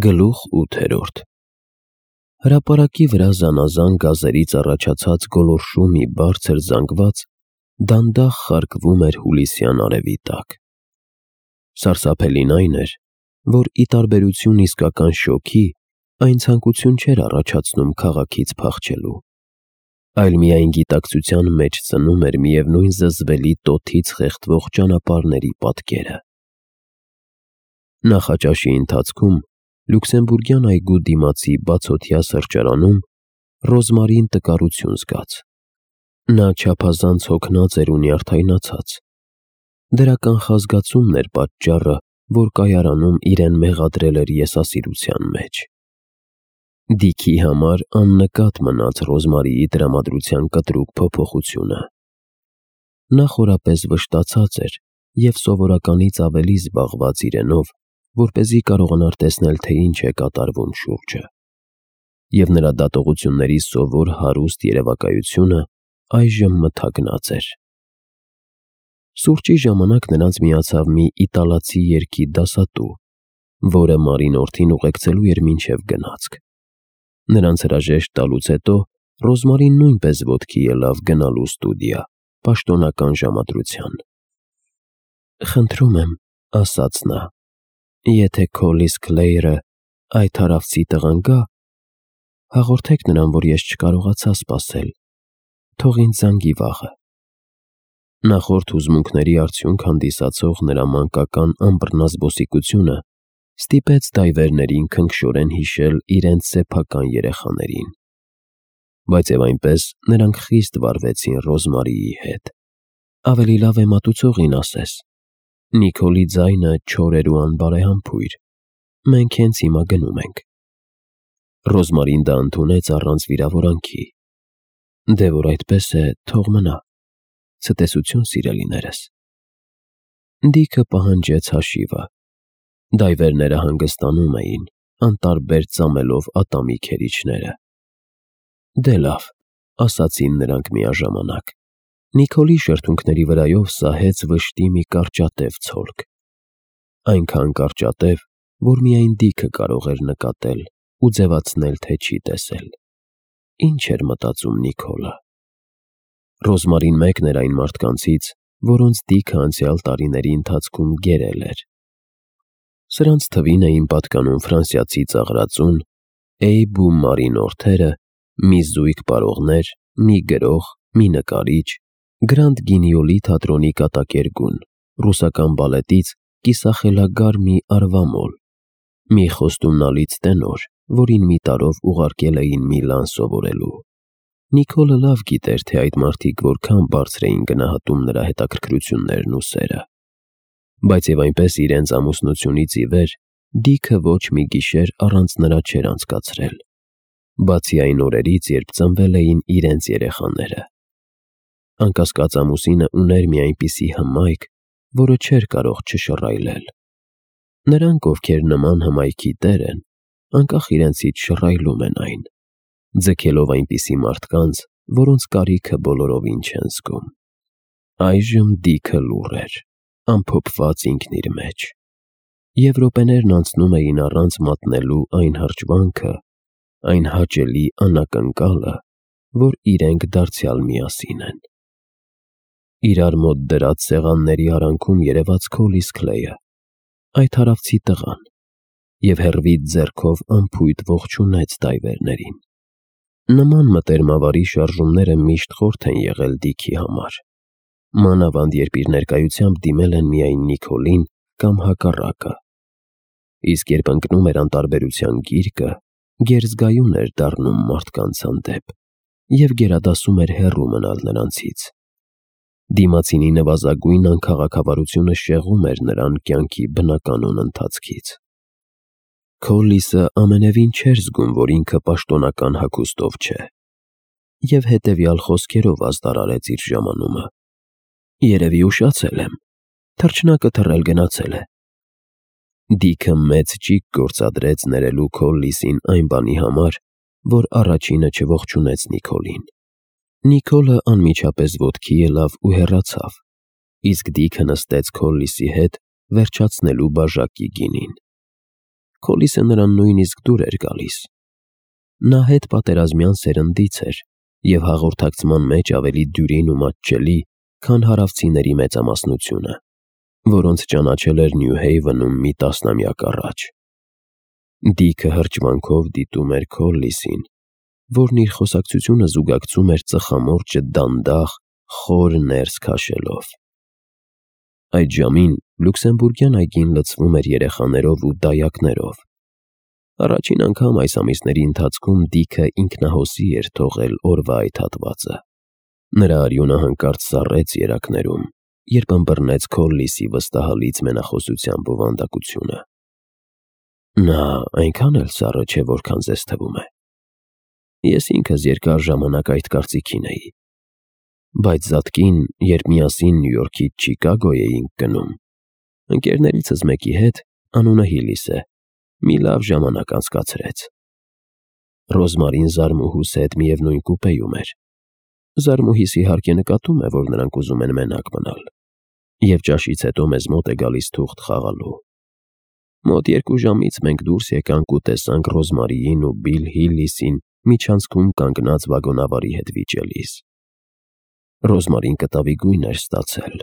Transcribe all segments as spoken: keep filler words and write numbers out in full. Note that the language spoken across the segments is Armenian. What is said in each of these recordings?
Գլուխ ութերորդ Հրապարակի վրա զանազան գազերից առաջացած գոլորշու մի բարձր զանգված դանդաղ խարկվում էր հուլիսյան արևի տակ: Սարսափելին այն էր, որ ի տարբերություն իսկական շոգի, այն ցանկություն չէր առաջացնում քաղաքից փախչելու, այլ միայն գիտակցության մեջ ծնում էր միևնույն զզվելի տոթից խեղդվող ճանապարհների պատկերը: Նախաճաշի ընթացքում Լյուքսեմբուրգյան այգու դիմացի բացօթյա սրճարանում Ռոզմարին տկարություն զգաց: Նա չափազանց հոգնած էր ու նյարդայնացած: Դրա կանխազգացումն էր պատճառը, որ կայարանում իրեն մեղադրել էր եսասիրության մեջ: Դիքի համար աննկատ մնաց Ռոզմարիի տրամադրության կտրուկ փոփոխությունը: Նա խորապես վշտացած էր և սովորականից ավելի զբաղված իրենով, որպեսզի կարողանար տեսնել, թե ինչ է կատարվում շուրջը: Եվ նրա դատողությունների սովոր հարուստ երևակայությունը այժմ մթագնած էր: Սուրճի ժամանակ նրանց միացավ մի իտալացի երգի դասատու, որը Մարինորդին ուղեկցելու էր մինչև գնացք: Նրանց հրաժեշտ տալուց հետո Ռոզմարին նույնպես ոտքի ելավ գնալու ստուդիա, պաշտոնական ժամադրության: «Խնդրում եմ,» ասաց նա, «եթե Քոլլիս Քլեյրը, այդ հարավցի տղան գա, հաղորդեք նրան, որ ես չկարողացա սպասել, թող ինձ զանգի վաղը»: Նախորդ հուզմունքների արդյունք հանդիսացող նրա մանկական անբռնազբոսիկությունը ստիպեց դայվերներին քնքշորեն հիշել իրենց սեփական երեխաներին: Բայց և այնպես նրանք խիստ վարվեցին Ռոզմարիի հետ: «Ավելի լավ է մատուցողին ասես: Նիկոլի ձայնը չոր էր ու անբարեհամբույր: Մենք հենց հիմա գնում ենք»: Ռոզմարին դա ընդունեց առանց վիրավորանքի: «Դե որ այդպես է, թող մնա: Ցտեսություն սիրելիներս»: Դիքը պահանջեց հաշիվը: Դայվերները հանգստանում էին, անտարբեր ծամելով ատամի քերիչները: «Դե լավ», ասացին նրանք միաժամանակ: Նիկոլի շրթունքների վրայով սահեց վշտի մի կարճատև ցոլք: Այնքան կարճատև, որ միայն Դիքը կարող էր նկատել ու ձևացնել, թե չի տեսել: Ինչ էր մտածում Նիկոլը: Ռոզմարին մեկն էր այն մարդկանցից, որոնց Դիքը անցյալ տարիների ընթացքում գերել էր: Սրանց թվին էին պատկանում ֆրանսիացի ծաղրածուն, Էյբ ու Մարինորդները, մի զույգ պարողներ, մի գրող, մի նկարիչ, Գրանդ Գինիոլի թատրոնի կատակերգուն, ռուսական բալետից կիսախելագար մի արվամոլ, մի խոստումնալից տենոր, որին մի տարով ուղարկել էին Միլան սովորելու: Նիկոլը լավ գիտեր, թե այդ մարդիկ որքան բարձր էին գնահատում նրա հետաքրքրություններն ու սերը: Բայց և այնպես իրենց ամուսնությունից ի վեր Դիքը ոչ մի գիշեր առանց նրա չէր անցկացրել, բացի այն օրերից, երբ ծնվել էին իրենց երեխաները: Անկասկած ամուսինը ուներ մի այնպիսի հմայք, որը չէր կարող չշռայլել: Նրանք, ովքեր նման հմայքի տեր են, անկախ իրենցից շռայլում են այն, ձգելով այնպիսի մարդկանց, որոնց կարիքը բոլորովին չեն զգում: Այժմ Դիքը լուռ էր, ամփոփված ինքն իր մեջ: Եվ րոպեներն անցնում էին առանց մատնելու այն հրճվանքը, այն հաճելի անակնկալը, որ իրենք դարձյալ միասին են: Իրար մոտ դրած սեղանների արանքում երևաց Քոլլիս Քլեյը, այդ հարավցի տղան, և հեռվից ձեռքով անփույթ ողջունեց դայվերներին: Նման մտերմավարի շարժումները միշտ խորթ են եղել Դիքի համար, մանավանդ երբ իր ներկայությամբ դիմել են միայն Նիկոլին կամ հակառակը: Իսկ երբ ընկնում էր անտարբերության գիրկը, գերզգայուն էր դառնում մարդկանց հանդեպ և գերադասում էր հեռու մնալ նրանցից: Դիմացինի նվազագույն անքաղաքավարությունը շեղում էր նրան կյանքի բնականոն ընթացքից: Քոլլիսը ամենևին չէր զգում, որ ինքը պաշտոնական հագուստով չէ, և հետևյալ խոսքերով ազդարարեց իր ժամանումը. «Երևի ուշացել եմ, թռչնակը թռել գնացել է»: Դիքը մեծ ճիգ գործադրեց ներելու Քոլլիսին այն բանի համար, որ առաջինը չողջունեց Նիկոլին: Նիկոլը անմիջապես ոտքի ելավ ու հեռացավ, իսկ Դիքը նստեց Քոլլիսի հետ վերջացնելու բաժակի գինին: Քոլիսը նրան նույնիսկ դուր էր գալիս։ Նա հետ պատերազմյան սերնդից էր և հաղորդակցման մեջ ավելի դյուրին ու մատչելի, քան հարավցիների մեծամասնությունը, որոնց ճանաչել էր Նյու Հեյվենում մի տասնամյակ առաջ։ Դիքը հրճվանքով դիտում էր Քոլլիսին, որն իր խոսակցությունը զուգակցում էր ծխամորճը դանդաղ, խոր ներս քաշելով։ Այդ ժամին լյուքսեմբուրգյան այգին լցվում էր երեխաներով ու դայակներով։ Առաջին անգամ այս ամիսների ընթացքում Դիքը ինքնահոսի էր թողել օրվա այդ հատվածը։ Նրա արյունը հանկարծ սառեց երակներում, երբ ըմբռնեց Քոլլիսի վստահալից մենախոսության բովանդակությունը։ Նա այնքան էլ սառը չէ, որքան ձեզ թվում է։ Ես ինքս երկար ժամանակ այդ կարծիքին էի։ Բայց զատկին, երբ միասին Նյու Յորքից Չիկագո էինք գնում, ընկերներիցս մեկի հետ, անունը Հիլիս է, մի լավ ժամանակ անցկացրեց։ Ռոզմարին Զարմուհուս հետ միևնույն կուպեում էր։ Զարմուհիս իհարկե նկատում է, որ նրանք ուզում են մենակ մնալ, և ճաշից հետո մեզ մոտ է գալիս թուղթ խաղալու։ Մոտ երկու ժամից մենք դուրս եկանք ու տեսանք Ռոզմարիին ու Բիլ Հիլիսին միջանցքում կանգնած վագոնավարի հետ վիճելիս։ Ռոզմարին կտավի գույն էր ստացել։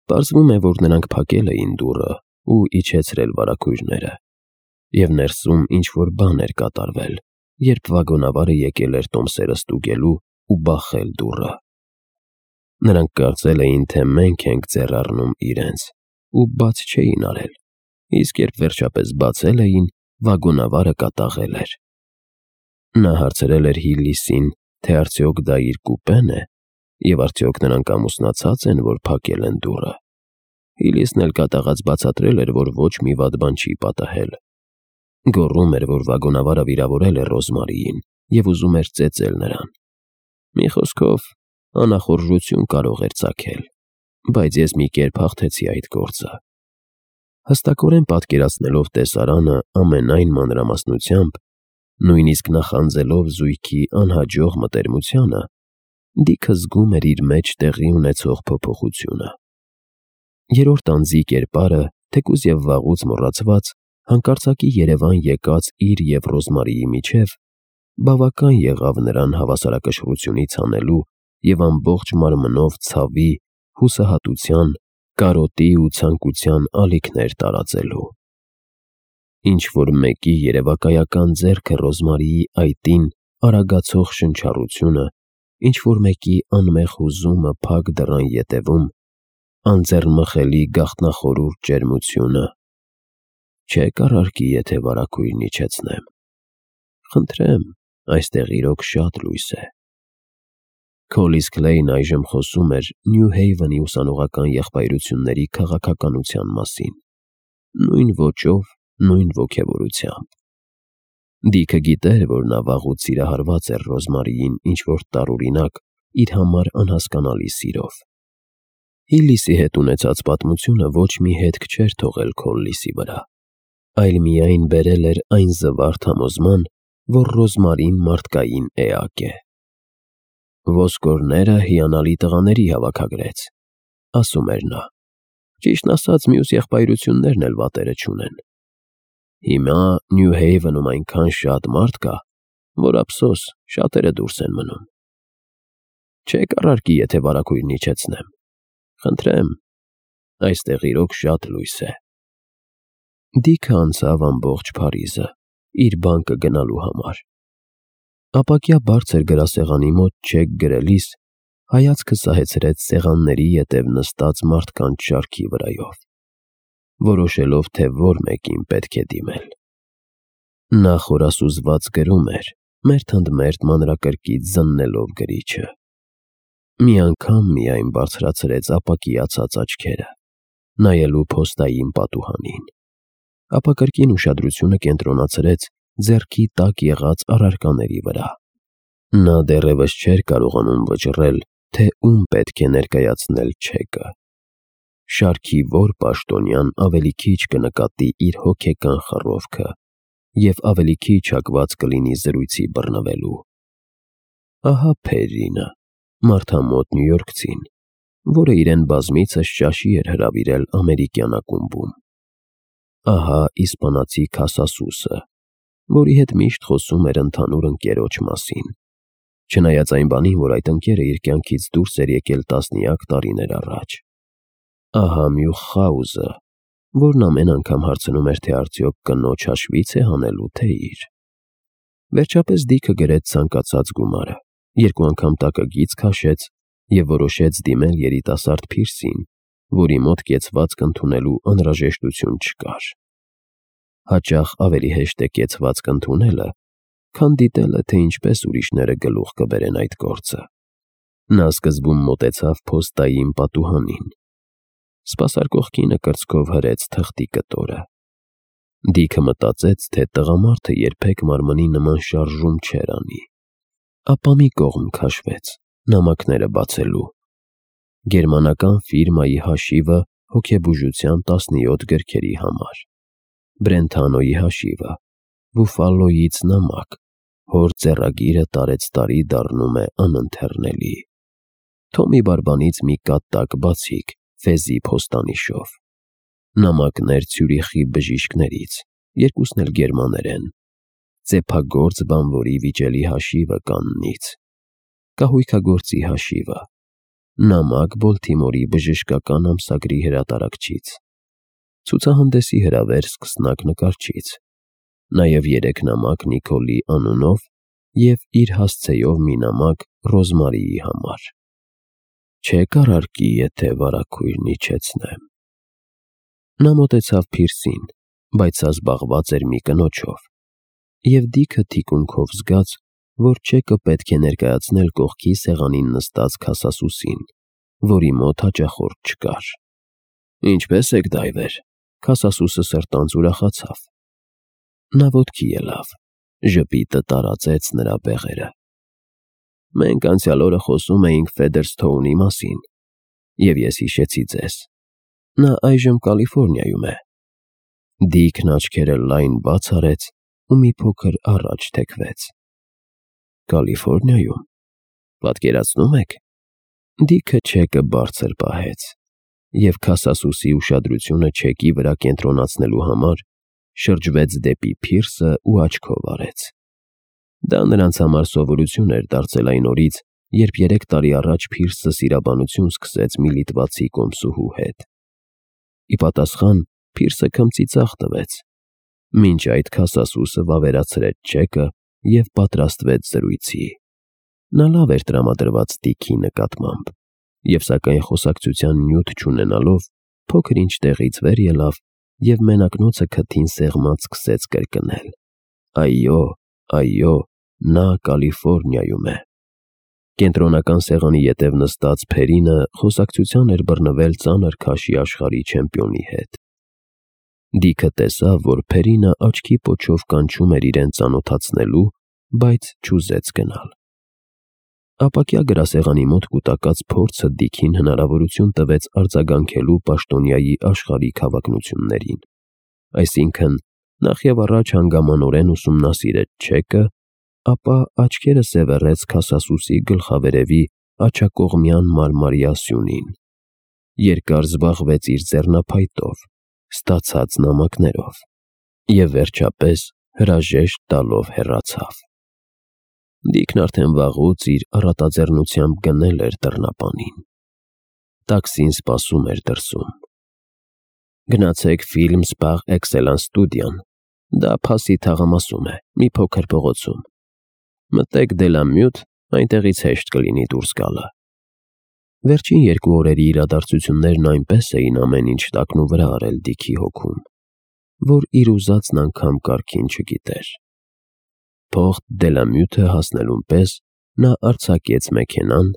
Պարզվում է, որ նրանք փակել էին դուռը ու իջեցրել վարագույրները, և ներսում ինչ-որ բան էր կատարվել, երբ վագոնավարը եկել էր տոմսերը ստուգելու ու բախել դուռը։ Նրանք կարծել էին, թե մենք ենք ձեռ առնում իրենց, ու բաց չէին արել, իսկ երբ վերջապես բացել էին, վագոնավարը կատաղել էր։ Նա հարցրել էր Հիլիսին, թե արդյոք դա իր կուպեն է, և արդյոք նրանք ամուսնացած են, որ փակել են դուռը։ Հիլիսն էլ կատաղած բացատրել էր, որ ոչ մի վատ բան չի պատահել։ Գոռում էր, որ վագոնավարը վիրավորել է Ռոզմարիին և ուզում էր ծեծել նրան։ Մի խոսքով, անախորժություն կարող էր ծագել, բայց ես մի կերպ հաղթեցի այդ գործը։ Հստակորեն պատկերացնելով տեսարանը ամենայն մանրամասնությամբ, նույնիսկ նախանձելով զույգի անհաջող մտերմությանը, Դիքը զգում էր իր մեջ տեղի ունեցող փոփոխությունը։ Երրորդ անձի կերպարը, թեկուզ և վաղուց մոռացված, հանկարծակի երևան եկած իր և Ռոզմարիի միջև, բավական եղավ նրան հավասարակշռությունից հանելու և ամբողջ մարմնով ցավի, հուսահատության, կարոտի ու ցանկության ալիքներ տարածելու։ Ինչ-որ մեկի երևակայական ձեռքը Ռոզմարիի այտին արագացող շնչառությունը, ինչ-որ մեկի անմեղ հուզումը փակ դռան ետևում, անձեռնմխելի գաղտնախորուրդ ջերմությունը։ Չե՞ք առարկի, եթե վարագույրն իջեցնեմ։ Խնդրեմ, այստեղ իրոք շատ լույս է։ Քոլիս Քլեյն այժմ խոսում էր Նյու Հեյվենի ուսանողական եղբայրությունների քաղաքականության մասին, նույն ոճով, նույն ոգևորությամբ։ Դիքը գիտեր, որ նա վաղուց սիրահարված էր Ռոզմարիին ինչ-որ տարօրինակ, իր համար անհասկանալի սիրով։ Հիլիսի հետ ունեցած պատմությունը ոչ մի հետք չէր թողել Քոլլիսի վրա, այլ միայն բերել էր այն զվարթ համոզման, որ Ռոզմարին մարդկային էակ է։ «Ոսկորները հիանալի տղաների հավաքագրեց», ասում էր նա։ Ճիշտն ասած, մյուս եղբայրություններն էլ վատերը չունեն։ Հիմա Նյու Հեյվենում այնքան շատ մարդ կա, որ ափսոս, շատերը դուրս են մնում։ Չե՞ք առարկի, եթե վարագույրն իջեցնեմ։ Խնդրեմ, այստեղ իրոք շատ լույս է։ Դիքը անցավ ամբողջ Փարիզը, իր բանկը գնալու համար։ Ապակյա բարձր գրասեղանի մոտ չեք գրելիս, հայացքը սահեցրեց սեղանների ետև նստած մարդկանց շարքի վրայով, որոշելով, թե որ մեկին պետք է դիմել։ Նա խորասուզված գրում էր, մերթ ընդ մերթ մանրակրկիտ զննելով գրիչը։ Մի անգամ միայն բարձրացրեց ապակիացած աչքերը, նայելու փոստային պատուհանին, ապա կրկին ուշադրությունը կենտրոնացրեց ձեռքի տակ եղած առարկաների վրա։ Նա դեռևս չէր կարողանում վճռել, թե ում պետք է ներկայացնել չեկը։ Շարքի որ պաշտոնյան ավելի քիչ կնկատի իր հոգեկան խռովքը և ավելի քիչ հակված կլինի զրույցի բռնվելու։ Ահա Փերրինը, մարդամոտ նյույորքցին, որը իրեն բազմիցս ճաշի էր հրավիրել ամերիկյան ակումբում։ ահա իսպանացի Քասասուսը, որի հետ միշտ խոսում էր ընդհանուր ընկերոջ մասին, չնայած այն բանին, որ այդ ընկերը իր կյանքից դուրս էր եկել տասնյակ տարիներ առաջ։ Ահա Մյուխաուզը, որն ամեն անգամ հարցնում էր, թե արդյոք կնոջ հաշվից է հանելու, թե իր։ Վերջապես Դիքը գրեց ցանկացած գումարը, երկու անգամ տակը գիծ քաշեց և որոշեց դիմել երիտասարդ Փիրսին, որի մոտ կեցվածք ընդունելու անհրաժեշտություն չկար։ Հաճախ ավելի հեշտ է կեցվածք ընդունելը, քան դիտելը, թե ինչպես ուրիշները գլուխ կբերեն այդ գործը։ Նա սկզբում մոտեցավ փոստային պատուհանին։ Սպասարկող կինը կրծքով հրեց թղթի կտորը։ Դիքը մտածեց, թե տղամարդը երբեք մարմնի նման շարժում չէր անի։ Ապա մի կողմ քաշվեց, նամակները բացելու։ Գերմանական ֆիրմայի հաշիվը հոգեբուժության տասնյոթ գրքերի համար, Բրենթանոյի հաշիվը, Բուֆալոյից նամակ, հոր ձեռագիրը տարեցտարի դառնում է անընթեռնելի, Թոմի բարբանից մի կատակ բացիկ Ֆեզի փոստանիշով, նամակներ Ցյուրիխի բժիշկներից, երկուսն էլ գերմաներեն, ծեփագործ բանվորի վիճելի հաշիվը Կաննից, կահույքագործի հաշիվը, նամակ Բոլթիմորի բժշկական ամսագրի հրատարակչից, ցուցահանդեսի հրավեր սկսնակ նկարչից, նաև երեք նամակ Նիկոլի անունով և իր հասցեով մի նամակ Ռոզմարիի համար։ Չեք առարկի, եթե վարագույրն իջեցնեմ։ Նա մոտեցավ Փիրսին, բայց սա զբաղված էր մի կնոջով, և Դիքը թիկունքով զգաց, որ չեկը պետք է ներկայացնել կողքի սեղանին նստած Քասասուսին, որի մոտ հաճախորդ չկար։ Ինչպե՞ս եք, դայվեր։ Քասասուսը սրտանց ուրախացավ։ Նա ոտքի ելավ, ժպիտը տարածեց նրա բեղերը։ Մենք անցյալ օրը խոսում էինք Ֆեդերսթոունի մասին, և ես հիշեցի ձեզ։ Նա այժմ Կալիֆոռնիայում է։ Դիքն աչքերը լայն բաց արեց ու մի փոքր առաջ թեքվեց։ Կալիֆոռնիայում։ Պատկերացնում եք։ Դիքը չեկը բարձր պահեց, և Քասասուսի ուշադրությունը չեկի վրա կենտրոնացնելու համար շրջվեց դեպի Փիրսը ու աչքով արեց։ Դա նրանց համար սովորություն էր դարձել այն օրից, երբ երեք տարի առաջ Փիրսը սիրաբանություն սկսեց մի լիտվացի կոմսուհու հետ։ Ի պատասխան Փիրսը քմծի ծախ տվեց։ Մինչ այդ Քասասուսը վավերացրեց չեկը և պատրաստվեց զրույցի։ Նա լավ էր տրամադրված Դիքի նկատմամբ, և սակայն խոսակցության նյութ չունենալով, փոքր-ինչ տեղից վեր ելավ և մենակնոցը քթին սեղմած սկսեց կրկնել. Այո, այո, նա Կալիֆոռնիայում է։ Կենտրոնական սեղանի ետև նստած Փերինը խոսակցության էր բռնվել ծանր քաշի աշխարհի չեմպիոնի հետ։ Դիքը տեսավ, որ Փերինը աչքի պոչով կանչում էր իրեն ծանոթացնելու, բայց չուզեց գնալ։ Ապակյա գրասեղանի մոտ կուտակած փորձը Դիքին հնարավորություն տվեց արձագանքելու պաշտոնյայի աշխարհիկ հավակնություններին, այսինքն նախ և առաջ հանգամանորեն ուսումնասիրեց չեկը, ապա աչքերը սևեռեց Քասասուսի գլխավերևի աջակողմյան մարմարյա սյունին, երկար զբաղվեց իր ձեռնափայտով, ստացած նամակներով և վերջապես հրաժեշտ տալով հեռացավ։ Դիքն արդեն վաղուց իր առատաձեռնությամբ գնել էր դռնապանին։ Տաքսին սպասում էր դրսում։ Գնացեք Film Spar Excellence ստուդիան, դա Փասի թաղամասում է, մի փոքր փողոցում։ Մտեք Դելամյութ, այնտեղից հեշտ կլինի դուրս գալը։ Վերջին երկու օրերի իրադարձություններն այնպես էին ամեն ինչ տակնուվրա արել Դիքի հոգում, որ իր ուզածն անգամ կարգին չգիտեր։ Փողտ Դելամյութը հասնելուն պես նա արձակեց մեքենան,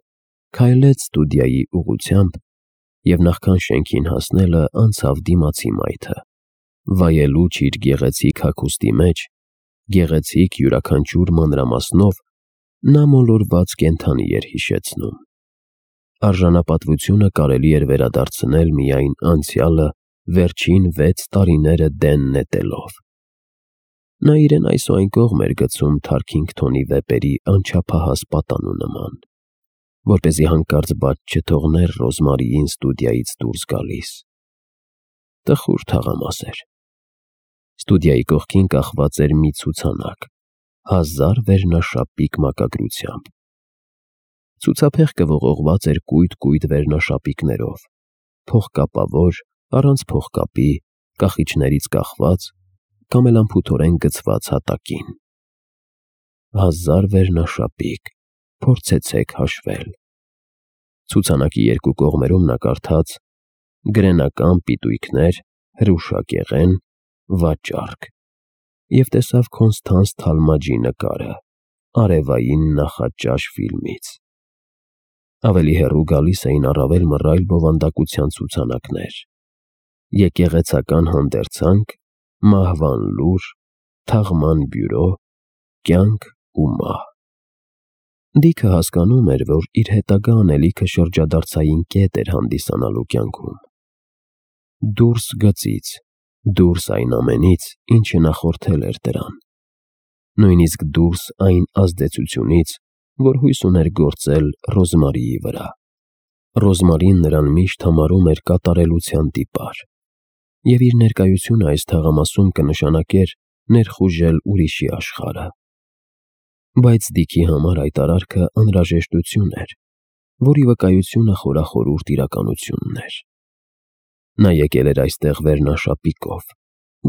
քայլեց ստուդիայի ուղղությամբ և նախքան շենքին հասնելը անցավ դիմացի մայթը, վայելուչ իր գեղեցիկ հագուստի մեջ, գեղեցիկ յուրաքանչյուր մանրամասնով նա մոլորված կենդանի էր հիշեցնում։ Արժանապատվությունը կարելի էր վերադարձնել միայն անցյալը վերջին վեց տարիները դեն նետելով։ Նա իրեն այս ու այն կողմ էր գցում Թարքինգթոնի վեպերի անչափահաս պատանու նման, որպեսզի հանկարծ բաց չթողներ Ռոզմարիին ստուդիայից դուրս գալիս։ Տխուր թաղամաս էր։ Ստուդիայի կողքին կախված էր մի ցուցանակ, հազար վերնաշապիկ մակագրությամբ։ Ցուցափեղկը ողողված էր կույտ-կույտ վերնաշապիկներով, փողկապավոր, առանց փողկապի, կախիչներից կախված կամ էլ անփութորեն գցված հատակին։ Հազար վերնաշապիկ, փորձեցեք հաշվել։ Ցուցանակի երկու կողմերում նա կարդաց գրենական պիտույքներ, հրուշակեղեն, վաճառք և տեսավ Կոնստանս Թալմաջի նկարը արևային նախաճաշ ֆիլմից։ Ավելի հեռու գալիս էին առավել մռայլ բովանդակության ցուցանակներ՝ եկեղեցական հանդերձանք, մահվան լուր, թաղման բյուրո, կյանք ու մահ։ Դիքը հասկանում էր, որ իր հետագա անելիքը շրջադարձային կետ էր հանդիսանալու կյանքում։ Դուրս գծից, դուրս այն ամենից, ինչը նախորդել էր դրան, նույնիսկ դուրս այն ազդեցությունից, որ հույս ուներ գործել Ռոզմարիի վրա։ Ռոզմարին նրան միշտ համարում էր կատարելության տիպար, և իր ներկայությունը այս թաղամասում կնշանակեր ներխուժել ուրիշի աշխարհը։ Բայց Դիքի համար այդ արարքը անհրաժեշտություն էր, որի վկայությունը խորախորուրդ իրականությունն էր։ Նա եկել էր այստեղ վերնաշապիկով,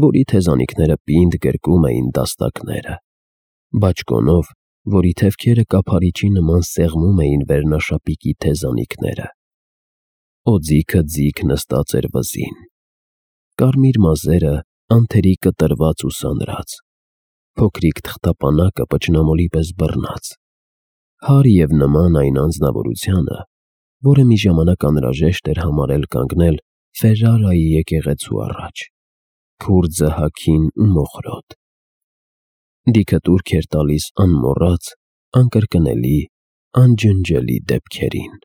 որի թեզանիքները պինդ գրկում էին դաստակները, բաճկոնով, որի թևքերը կափարիչի նման սեղմում էին վերնաշապիկի թեզանիքները։ Օձիքը ձիգ նստած էր վզին, կարմիր մազերը անթերի կտրված ու սանրած, փոքրիկ թղթապանակը պճնամոլի պես բռնած, հարի և նման այն անձնավորությանը, որը մի ժամանակ անհրաժեշտ էր համարել կանգնել Ֆերրարայի եկեղեցու առաջ, քուրձը հագին ու մոխրոտ։ Դիքը տուրք էր տալիս անմոռաց, անկրկնելի, անջնջելի դեպքերին։